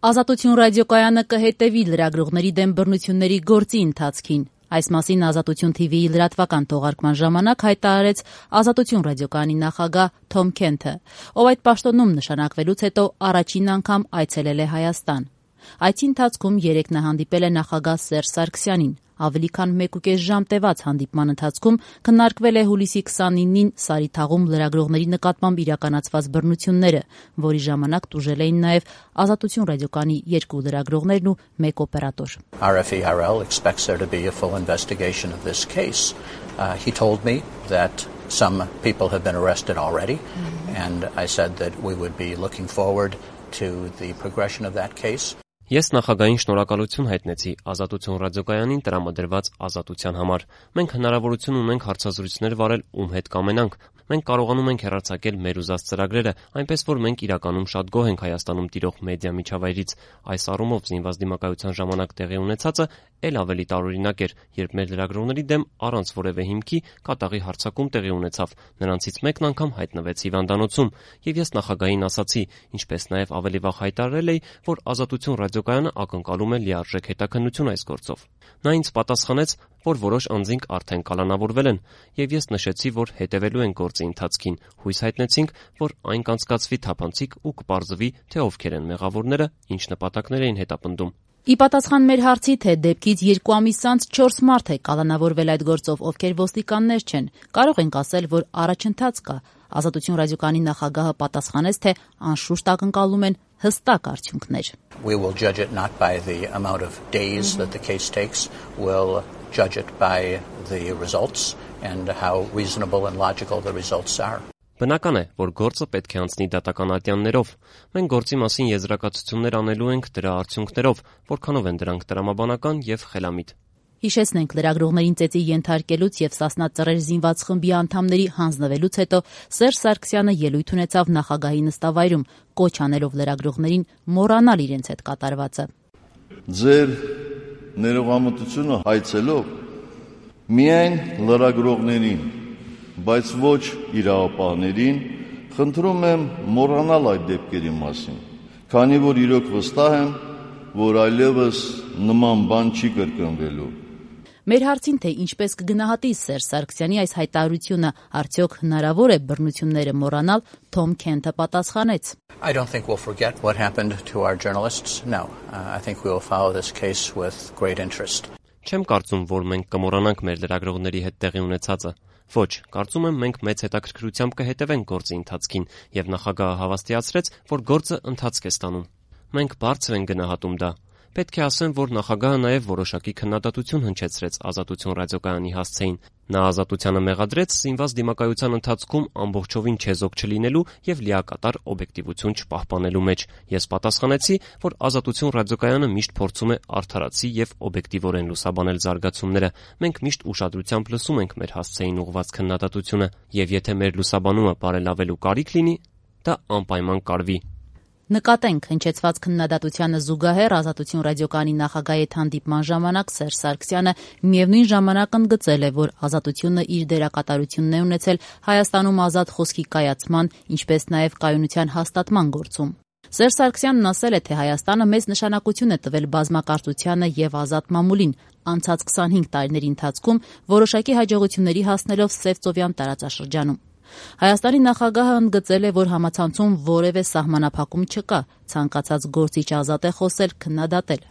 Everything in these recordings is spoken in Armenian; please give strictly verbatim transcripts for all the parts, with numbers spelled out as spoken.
Ազատություն ռադիոկայանը կհետևի լրագրողների դեմ բռնությունների գործի ընթացքին։ Այս մասին Ազատություն թիվիի լրատվական թողարկման ժամանակ հայտարարեց Ազատություն ռադիոկայանի նախագահ Թոմ Քենթը, ով այդ պաշտոնում նշանակվելուց հետո առաջին անգամ այցելել է Հայաստան։ Այցի ընթացքում երեկ նա հանդիպել է նախագահ Սերժ Սարգսյանին։ Ավելի քան մեկուկես ժամ տևած հանդիպման ընթացքում քննարկվել է հուլիսի քսանինին Սարիթաղում լրագրողների նկատմամբ իրականացված բռնությունները, որի ժամանակ տուժել էին նաև Ազատություն ռադիոկայանի երկու լրագրողներն ու մեկ օպերատոր։ R F E R L expects there to be a full investigation of this case. Uh, he told me that some people have been arrested already, mm-hmm. and I said that we would be looking forward to the progression of that case. Ես նախագահին շնորհակալություն հայտնեցի Ազատություն ռադիոկայանին տրամադրված ազատության համար։ Մենք հնարավորություն ունենք հարցազրույցներ վարել ում հետ կամենանք։ Մենք կարողանում ենք հեռարձակել մեր ուզած ծրագրերը, այնպես որ մենք իրականում շատ գոհ ենք Հայաստանում տիրող մեդիա միջավայրից։ Այս առումով զինված դիմակայության ժամանակ տեղի ունեցածը ել ավելի տարօրինակ էր, երբ մեր լրագրողների դեմ առանց որևէ հիմքի կատաղի հարձակում տեղի ունեցավ։ Նրանցից մեկն անգամ հայտնվեց հիվանդանոցում, եւ ես նախագահին ասացի, ինչպես նաեւ ավելի վաղ հայտարարել էի, որ Ազատություն ռադիոկայանը ակնկալում է լիարժեք հետաքննություն այս գործով։ Նա ինձ պատասխանեց, որ որոշ անձինք արդեն կալանավորվել են, եւ ես նշեցի, որ հետևելու են գործի ընթացքին։ Հույս հայտնեցինք, որ այն կանցկացվի թափանցիկ ու կպարզվի, թե ովքեր են մեղավորները, ինչ նպատակներ էին հետապնդում։ Ի պատասխան մեր հարցի, թե դեպքից երկու ամիս անց չորս մարդ է կալանավորվել այդ գործով, ովքեր ոստիկաններ չեն, կարող ենք ասել, որ առաջընթաց կա։ Ազատություն ռադիոկայանի նախագահը պատասխանեց, թե անշուշտ ակնկալում են հստակ արդյունքներ։ We will judge it not by the amount of days mm-hmm. that the case takes, we'll judge it by the results and how reasonable and logical the results are. Բնական է, որ գործը պետք է անցնի դատական ատյաններով։ Մենք գործի մասին եզրակացություններ անելու ենք դրա արդյունքներով, որքանով են դրանք տրամաբանական եւ խելամիտ։ Հիշեցնենք, լրագրողներին ծեծի ենթարկելուց եւ Սասնա ծռեր զինված խմբի անդամների հանձնվելուց հետո Սերժ Սարգսյանը ելույթ ունեցավ նախագահի նստավայրում, կոչ անելով լրագրողներին մոռանալ իրենց հետ կատարվածը։ Ձեր ներողամտությունը հայցելով միայն լրագրողներին, բայց ոչ իրավապահներին, խնդրում եմ մոռանալ այդ դեպքերի մասին, քանի որ իրոք վստահ եմ, որ այլևս նման բան չի կրկնվելու։ Մեր հարցին, թե ինչպես կգնահատի Սերժ Սարգսյանի այս հայտարարությունը, արդյոք հնարավոր է բռնությունները մոռանալ, Թոմ Քենթը պատասխանեց. I don't think we'll forget what happened to our journalists. No, uh, I think we will follow this case with great interest. Չեմ կարծում, որ մենք կմոռանանք մեր լրագրողների հետ տեղի ունեցածը։ Ոչ, կարծում եմ մենք մեծ հետաքրքրությամբ կհետևենք գործի ընթացքին, եւ նախագահը հավաստիացրեց, որ գործը ընթացք է ստանում։ Մենք բարձր ենք գնահատում դա։ Պետք է ասեմ, որ նախագահը նաև որոշակի քննադատություն հնչեցրեց Ազատություն ռադիոկայանի հասցեին։ Նա ազատությանը մեղադրեց զինված դիմակայության ընթացքում ամբողջովին չեզոք չլինելու եւ լիակատար օբյեկտիվություն չպահպանելու մեջ։ Ես պատասխանեցի, որ Ազատություն ռադիոկայանը միշտ փորձում է արդարացի եւ օբյեկտիվորեն լուսաբանել զարգացումները։ Մենք միշտ ուշադրությամբ լսում ենք մեր հասցեին ուղղված քննադատությունը, եւ եթե մեր լուսաբանումը բարելավելու կարիք լինի, դա անպայման կարվի։ Նկատենք, հնչեցված քննադատությանը զուգահեռ Ազատություն ռադիոկայանի նախագահի հետ հանդիպման ժամանակ Սերժ Սարգսյանը միևնույն ժամանակ ընդգծել է, որ Ազատությունը իր դերակատարությունն է ունեցել Հայաստանում ազատ խոսքի կայացման, ինչպես նաև կայունության հաստատման գործում։ Սերժ Սարգսյանն ասել է, թե Հայաստանը մեծ նշանակություն է տվել բազմակարծությանը եւ ազատ մամուլին, անցած քսանհինգ տարիների ընթացքում որոշակի հաջողությունների հասնելով Սևծովյան տարածաշրջանում։ Հայաստանի նախագահը ընդգծել է, որ համացանցում որևէ սահմանափակում չկա, ցանկացած գործիչ ազատ է խոսել, քննադատել։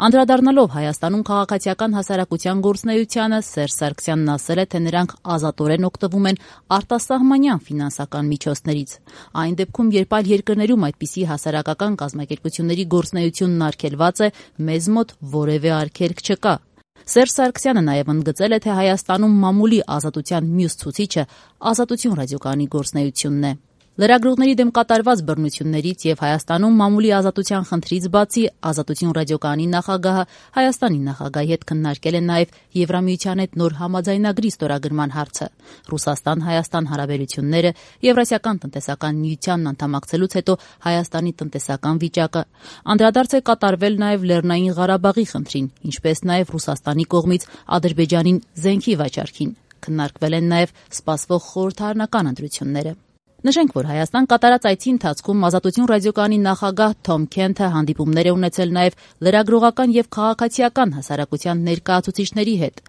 Անդրադառնալով Հայաստանում քաղաքացիական հասարակության գործունեությանը, Սերժ Սարգսյանն ասել է, թե նրանք ազատորեն օգտվում են արտասահմանյան ֆինանսական միջոցներից։ Այն դեպքում, երբ այլ երկրներում այդպիսի հասարակական կազմակերպությունների գործունեությունն արգելված է, մեզ մոտ որևէ արգելք չկա։ Սերժ Սարգսյանը նաև ընդգծել է, թե Հայաստանում մամուլի ազատության մյուս ցուցիչը Ազատություն ռադիոկայանի գործունեությունն է։ Լրագրողների դեմ կատարված բռնություններից եւ Հայաստանում մամուլի ազատության խնդրից բացի Ազատություն ռադիոկայանի նախագահը Հայաստանի նախագահի հետ քննարկել է նաև Եվրամիության հետ նոր համաձայնագրի ստորագրման հարցը, Ռուսաստան-Հայաստան հարաբերությունները, Եվրասիական տնտեսական միությանն անդամակցելուց հետո Հայաստանի տնտեսական վիճակը։ Անդրադարձ է կատարվել նաև Լեռնային Ղարաբաղի խնդրին, ինչպես նաև Ռուսաստանի կողմից Ադրբեջանին զենքի վաճառքին։ Քննարկվել են նաև սպասվող խորհրդարանական ընտրությունները։ Նշենք, որ Հայաստան կատարած այցի ընթացքում Ազատություն ռադիոկայանի նախագահ Թոմ Քենթը հանդիպումներ է ունեցել նաև լրագրողական եւ քաղաքացիական հասարակության ներկայացուցիչների հետ։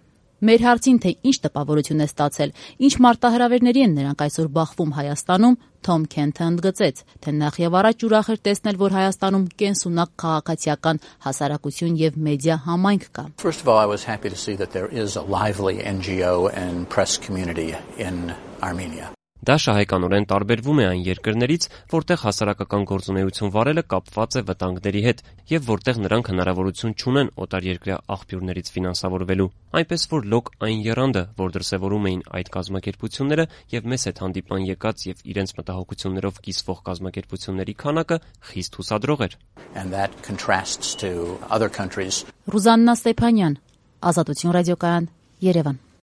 Մեր հարցին, թե ինչ տպավորություն է ստացել, ինչ մարտահրավերների են նրանք այսօր բախվում Հայաստանում, Թոմ Քենթը ընդգծեց, թե նախ եւ առաջ ուրախ էր տեսնել, որ Հայաստանում կենսունակ քաղաքացիական հասարակություն եւ մեդիա համայնք կա։ First of all, I was happy to see that there is a lively N G O and press community in Armenia. Դա շահեկանորեն տարբերվում է այն երկրներից, որտեղ հասարակական գործունեություն վարելը կապված է վտանգների հետ եւ որտեղ նրանք հնարավորություն չունեն օտարերկրյա աղբյուրներից ֆինանսավորվելու։ Այնպես որ լոկ այն եռանդը, որ դրսևորում էին այդ կազմակերպությունները եւ մեզ հետ հանդիպան եկած եւ իրենց մտահոգություններով կիսվող կազմակերպությունների քանակը խիստ հուսադրող էր։ And that contrasts to other countries. Ռուզաննա Ստեփանյան, Ազատություն ռադիոկայան, Երևան։